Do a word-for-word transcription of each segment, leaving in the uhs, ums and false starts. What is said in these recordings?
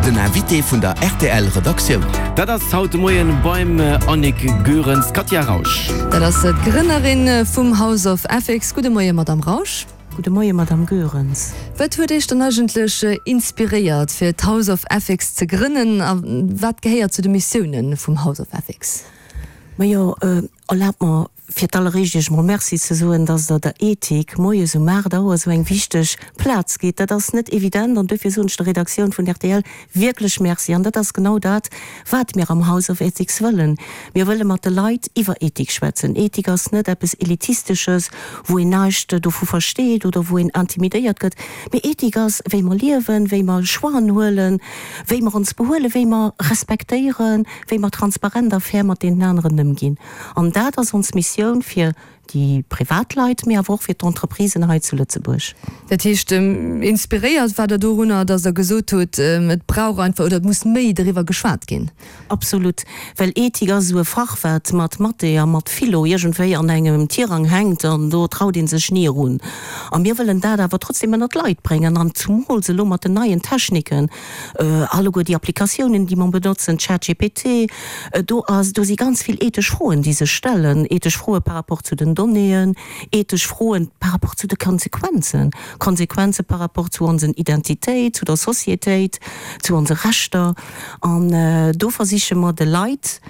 Den Invité vun der R T L Redaktioun. Dat ass haut de Moien beim Annick Goerens d'Katia Rausch. Dat ass d'Grënnerin vum House of Ethics. Gudde Moien, Madame Rausch. Gudde Moien, Madame Goerens. Wat huet Iech dann eigentlech inspiréiert, fir d'House of Ethics ze grënnen, a wat gehéiert zu de Missioune vum House of Ethics? Majo, äh, erlaabt mer fir d'alleréischt Iech mol Merci ze soen, dass Der der Ethik moies um aacht Auer esou eng wichteg Plaz gitt. Dat ass net evident an dofir soen ech der Redaktioun vun R T L wierklech Merci. An dat ass genau dat, wat mir am House of Ethics wëllen. Mir wëlle mat de Leit iwwer Ethik schwätzen. Ethik ass net eppes Elitistesches, wou een näischt dovu versteet oder wou een intimidéiert gëtt. Mee Ethik ass, wéi mer liewen, wéi mer Choixen huelen, wéi mer ons behuelen, wéi mer respektéieren, wéi mer transparent a fair mat deenen aneren ëmginn. An dat ass ons Missioun fir déi Privatleit, mee awer och fir d'Entreprisen hei zu Lëtzebuerg. Dat heescht, ähm, inspiréiert war Der dorunner, dass Der gesot hutt, ähm, et brauch einfach oder et muss méi doriwwer geschwat ginn. Absolut, well Ethik ass esou e Fach, wat mat Mathé a mat Philo iergendwéi an engem Tirang hänkt an do traut ee sech ni erun. A mir wëllen dat awer trotzdem ënnert d'Leit bréngen an zumools elo mat den neien Techniken, äh, alleguer déi Applikatiounen, déi mer benotzen, ChatGPT, äh, do ass, do si ganz vill ethesch Froen, déi sech stellen, ethesch Froe par rapport zu den Donnéeën, ethesch Froen par rapport zu de Konsequenzen, Konsequenze par rapport zu onsen Identitéit, zu der Societéit, zu onse Rechter. An äh, do versiche mer de Leit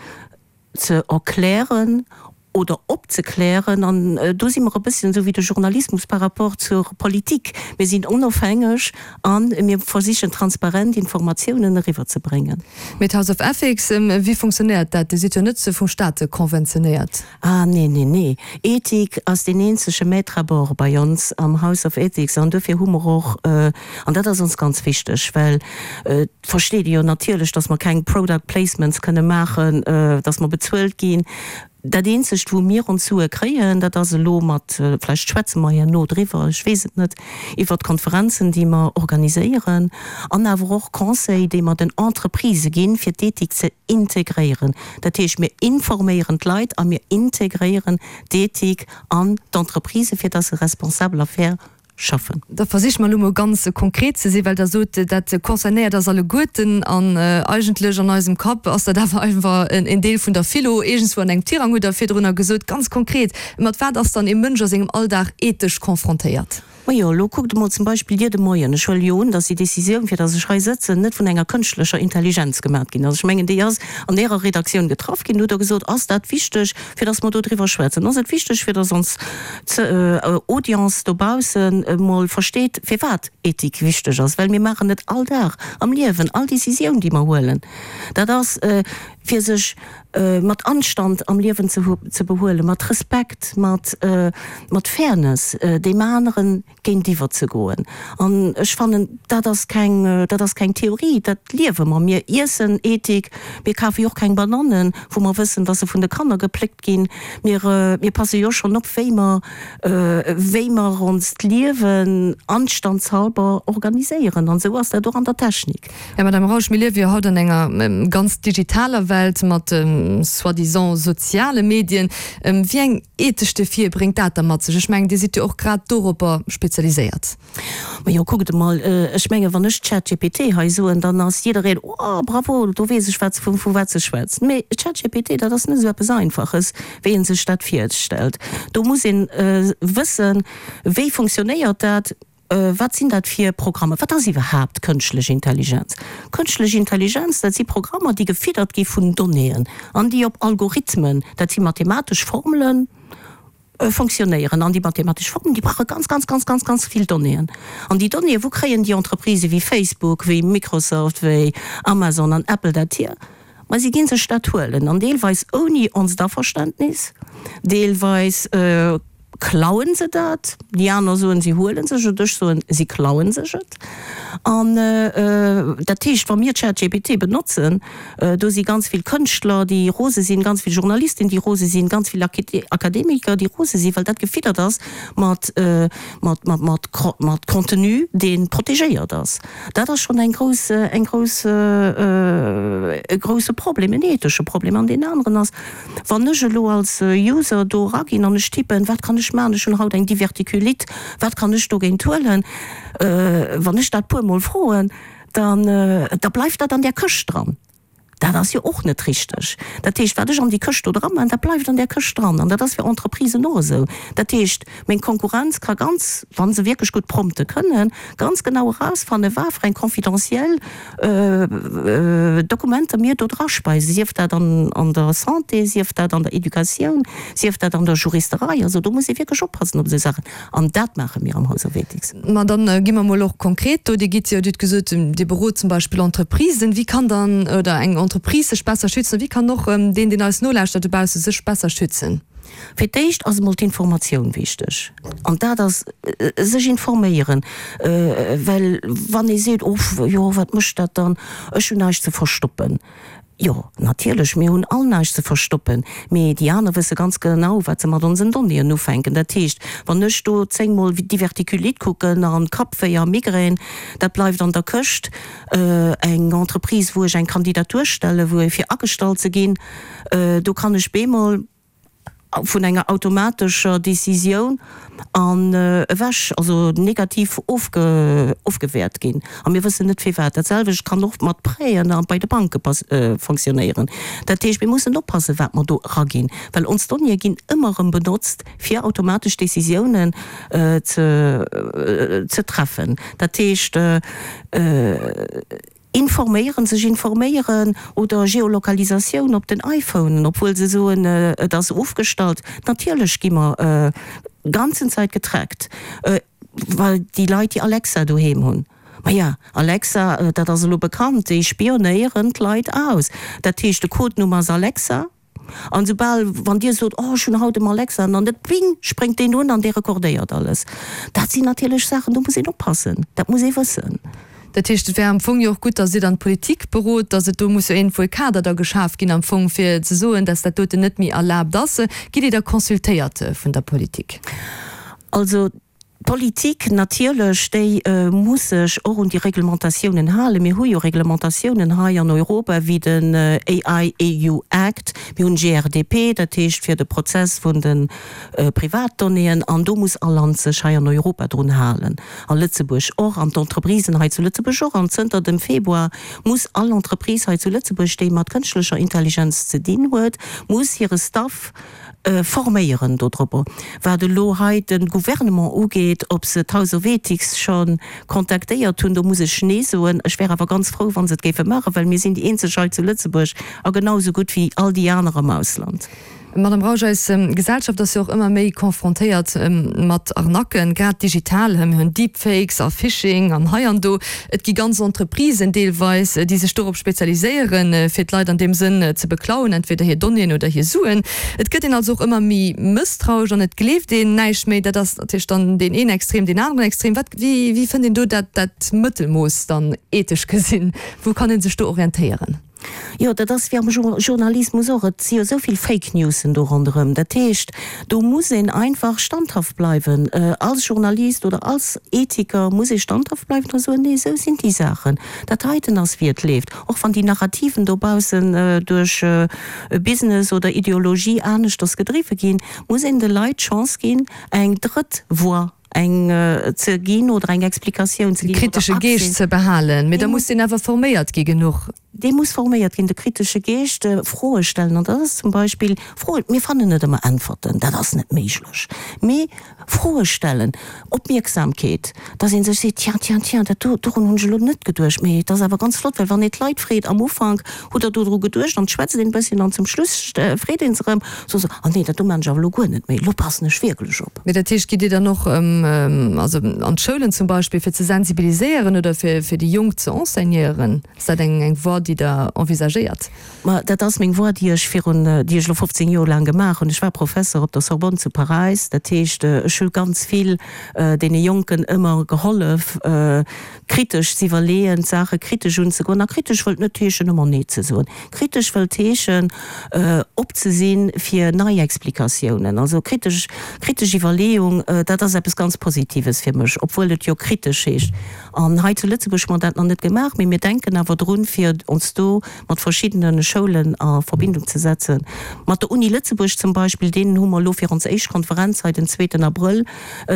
ze erklären oder opzeklären an äh, do si mer e bëssen esou wéi de Journalismus par rapport zur Politik. Mir sinn onofhängeg an mir versichen transparent Informatiounen eriwwerzebréngen. Mat House of Ethics, ähm, wéi funktionéiert dat? Dir sidd jo net vum Staat konventionéiert. Ah, nee, nee, nee. Ethik ass den eenzege Maître à bord bei ons am House of Ethics an dofir hu mer och äh, an dat ass ons ganz wichteg, well äh, versteet jo natierlech, dass mer keng Product Placements kënne maachen, äh, dass mer bezuelt ginn. Dat eenzegt, wou mir ons Sue kréien, dat ass elo mat äh, vläicht schwätze mer herno driwwer, ech weess et net, iwwer d'Konferenzen, déi mer organiséieren, an awer och Conseil, déi mer den Entreprisë ginn, fir d'Ethik ze integréieren. Dat heescht, mir informéieren d'Leit a mir integréieren d'Ethik an d'Entreprisë, fir dass se responsabel a fair schaffen. Da versiche mer elo mol ganz konkret ze sinn, well Der sot, dat concernéiert eis alleguerten an äh, eigentlech an eisem Kapp ass dat awer einfach en, en Deel vun der Philo, iergendswou an engem Tirang hutt Der virdrun gesot, ganz konkret. Mat wat ass dann e Mënsch a sengem Alldag ethesch konfrontéiert? Majo, lo kuckt mol zum Beispill dir de Moien. Ech huelen jo un, dass déi Decisioun, fir dass ech hei sëtzen, net vun enger kënschtlecher Intelligenz gemaach ginn ass. Ech mengen, déi ass an ärer Redaktioun getraff ginn, hutt Der gesot, ass dat wichteg, fir dass mer do driwwer schwätzen? Ass et wichteg, fir dass ons äh, Audience dobaussen äh, mol versteet, firwat Ethik wichteg ass? Well mir maachen et all Dag am Liewen, all Decisioun, déi mer huelen. Dat ass äh, fir sech äh, mat Anstand am Liewen ze, ze behuelen, mat Respekt, mat, äh, mat Fairness, äh, deem aneren géintiwwer ze goen. An ech fannen, dat ass keng, äh, dat ass keng Theorie, dat liewe mer. Mir iessen Ethik, mir kafe jo och keng Banannen, wou mer wëssen, dass se vun de Kanner gepléckt ginn. Mir, äh, mir passe jo schonn op, wéi mer, äh, wéi mer onst Liewen anstandshalber organiséieren. An esou ass dat och an der Technik. Ja, Madame Rausch, mir liewe jo haut an enger ähm, ganz digitaler Welt mat ähm, soi-disant soziale Medien. Ähm, wéi eng ethesch Defie bréngt dat da mat sech? Ech mengen, Dir sidd jo och grad doropper spezialiséiert. Ma jo, kuckt mol, äh, ech mengen, wann ech ChatGPT hei soen, dann ass jiddereen, oh, bravo, do weess ech, wat, vu, vu wat se schwätzt. Mee ChatGPT, dat ass net esou eppes Einfaches, wéi een sech dat virstellt. Do muss een äh, wëssen, wéi funktionéiert dat, äh, wat sinn dat fir Programmer? Wat ass iwwerhaapt kënschtlech Intelligenz? Kënschtlech Intelligenz, dat si Programmer, déi gefiddert gi vun Donnéeën, an déi op Algorithmen, dat si mathematesch Formelen, äh, funktionéieren. An déi mathematesch Formelen, déi brauche ganz, ganz, ganz, ganz, ganz vill Donnéeën. An déi Donnéeën, wou kréien déi Entreprisë wéi Facebook, wéi Microsoft, wéi Amazon an Apple dat hier? Ma si ginn sech dat huelen, an deelweis ouni onst Averständnis, deelweis äh, klauen se dat, déi aner soen, si huelen sech et, ech soen, si klauen sech et. An äh, äh, dat heescht, wa mir ChatGPT benotzen, äh, do si ganz vill Kënschtler, déi rose sinn, ganz vill Journalisten, déi rose sinn, ganz vill Akademiker, déi rose sinn, well dat gefiddert ass mat, äh, mat, mat, mat, mat Contenu, dee protegéiert ass. Dat ass schonn eng grouss, eng grouss, äh, e grousse Problem, en ethesche Problem. An deen aneren ass, wann ech elo als User do raginn an ech tippen, wat kann ech maachen, ech hunn haut eng Divertikulite, wat kann ech dogéint huelen, äh, wann ech dat puermol froen, dann, da bleift dat an där Këscht dran. Dat ass jo och net richteg. Dat heescht, wat ech an déi Këscht do dran man, dat bleift an där Këscht dran. An dat ass fir Entreprisen och esou. Dat heescht, meng Konkurrenz ka ganz, wa se wierklech gutt prompte kënnen, ganz genau erausfannen, wat fir eng confidentiel Dokumenter mir do draspeisen, sief dat an an der Santé, sief dat an der Educatioun, sief dat an der Juristerei. Also do muss ee wierklech oppassen op esou Saachen. An dat maache mir am House of Ethics. Ma dann gi mer emol och konkret do. Dir gitt jo, Dir hutt gesot, Dir berot zum Beispill Entreprisen. Wéi kann dann, oder eng Entreprise sech besser schützen? Wéi kann och deen, deen eis nolauschtert dobausse, sech besser schützen? Fir d'éischt ass emol d'Informatioun wichteg. An dat ass sech informéieren. Well wann ee seet, Oh, jo, wat mécht dat dann, ech hunn näischt ze verstoppen. Jo, natierlech, mir hunn all näischt ze verstoppen, mee déi aner wësse ganz genau, wat se mat onsen Donnéeën ufänken. Dat heescht, wann ech do zéngmol Diverticulite kucken an Kappwéi a Migrän, dat bleift an der Këscht. Eng Entreprise, wou ech eng Kandidatur stellen, wou fir agestallt ze ginn, do kann ech bemol vun enger automatescher Decisioun an ewech, also negativ ofge ofgewäert ginn. A mir wëssen net firwat. Dat selwecht kann och mat Prêten a bei de Banke fonctionnéieren. Dat heescht, mir mussen oppassen, wat mer do eraginn, well ons Donnéeë ginn ëmmer erëm benotzt, fir automatesch Decisiounen ze ze treffen. Dat heescht, Informéieren, sech informéieren oder Geolokalisatioun op den iPhonen, obwuel se soen, et ass ofgestallt. Natierlech gi mer ganzen Zäit getrackt, well déi Leit, déi Alexa doheem hunn, maja, Alexa, dat ass elo bekannt, déi spionéieren d'Leit aus. Dat heescht, de Codenumm ass Alexa. An soubal, wann Dir sot, oh ech hunn haut em Alexa, an dann ping, spréngt deen un an dee rekordéiert alles. Dat sinn natierlech Saachen, do muss een oppassen, dat muss ee wëssen. Dat heescht, et wär am Fong jo och gutt, datt Dir dann d'Politik berot, datt et do muss jo iergendwou e Kader da geschaf ginn am Fong, fir ze soen, datt dat doten net méi erlaabt ass. Gitt Dir da consultéiert vun der Politik? Also d'Politik natierlech, déi muss sech och un déi Reglementatiounen halen. Mir hu jo Reglementatiounen hei an Europa wéi den A I E U Act, mir hunn G R D P, dat heescht fir de Prozess vun de Privatdonnéeën, an do muss all Land sech hei an Europa drun halen, a Lëtzebuerg och, an d'Entreprisen hei zu Lëtzebuerg och. An zënter dem Februar muss all Entreprise hei zu Lëtzebuerg, déi mat kënschtlecher Intelligenz ze dinn huet, muss hire Staff forméieren dodropper. Wat elo hei de Gouvernement ugeet, ob se d'House of Ethics scho kontaktéiert hunn, do muss ech Nee soen. Ech wär awer ganz frou, wa se et géife maachen, well mir sinn déi eenzeg hei zu Lëtzebuerg a genau esou gutt wéi all déi aner am Ausland. Madame Rausch, eis Gesellschaft ass jo och ëmmer méi confrontéiert mat Arnaquen, grad digital. Mir hunn Deepfakes a Phishing an hei an do. Et gi ganz Entreprisen deelweis, déi sech dorop spezialiséieren, fir d'Leit an deem Sënn ze beklauen, entweder hir Donnéeën oder hir Suen. Et gëtt een also och ëmmer méi mësstrauesch an et gleeft een näischt méi. Dat ass natierlech dann deen een Extrem, deen aneren Extrem. Wat, wéi, wéi fënnt een do dat, dat Mëttelmooss dann ethesch gesinn? Wou kann ee sech do orientéieren? Jo, dat ass wéi am Journalismus och. Et si jo esou vill Fake Newsen do ronderëm. Dat heescht, do muss een einfach standhaft bleiwen. Als Journalist oder als Ethiker muss ee standhaft bleiwen a soen, Nee, esou sinn déi Saachen. Dat heiten ass, wéi et leeft. Och wann déi Narrativen dobaussen duerch Business oder Ideologie aneschters gedriwwe ginn, muss een de Leit d'Chance ginn, eng drëtt Voix eng ze ginn oder eng Explikatioun ze ginn. De kritesche Geescht ze behalen. Mee da muss deen awer forméiert gi genuch. Dee muss forméiert ginn, de kritesche Geescht, Froe stellen. An dat ass zum Beispill Froen, mir fannen net ëmmer Äntwerten, dat ass net méiglech, mee Froe stellen, Opmierksamkeet, dass ee sech seet, Tiens, tiens, tiens, dat do, dorun hunn ech elo net geduecht, mee et ass awer ganz flott, well wann ee d'Leit freet am Ufank, Hutt Der dodru geduecht? An et schwätzt een e bësschen an zum Schluss freet ee se erëm, soe se, Ah nee, dat do maan ech awer elo guer net méi, elo passen ech wierklech op. Mee dat heescht, gitt Dir dann och also an d'Schoulen zum Beispill, fir ze sensibiliséieren oder fir fir déi Jonk ze enseignéieren? Ass dat eng eng Voie, déi Der envisagéiert? Ma dat ass meng Voie, déi ech virun, déi ech elo fofzéng Joer laang gemaach hunn. Ech war Professer op der Sorbonne zu Paräis. Dat heescht, ech hu ganz vill deene Jonken ëmmer gehollef, kritesch z'iwwerleeën, d'Saache kritesch unzegoen. A kritesch wëllt net heeschen, ëmmer Nee ze soen. Kritesch wëllt heeschen, op ze si fir nei Explikatiounen. Also kritesch, kritesch Iwwerleeung, dat ass eppes ganz Positives fir mech, obwuel et jo kritesch heescht. An hei zu Lëtzebuerg hu mer dat nach net gemaach, mee mir denken awer drun, fir ons do mat verschiddene Schoulen a Verbindung ze setzen. Mat der Uni Lëtzebuerg zum Beispill, deenen hu mer elo fir ons éischt Konferenz hei den zweeten Abrëll, Abrëll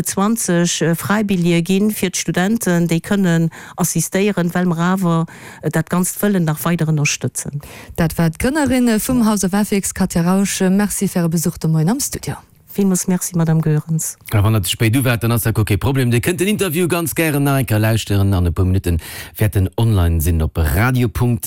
zwanzeg Fräibilljeeë ginn fir d'Studenten, déi kënnen assistéieren, well mer awer dat Ganzt wëllen nach weider ënnerstëtzen. Dat war d'Grënnerin vum House of Ethics, Katja Rausch. Merci fir Äre Besuch de Moien am Studio. Villmools Merci, Madame Goerens. A wann der ze spéit du waart, dann ass dat guer kee Problem. Dir kënnt den Interview ganz gären nach eng Kéier lauschteren. An e puer Minutte wäert en online sinn op radio.rtl.lu.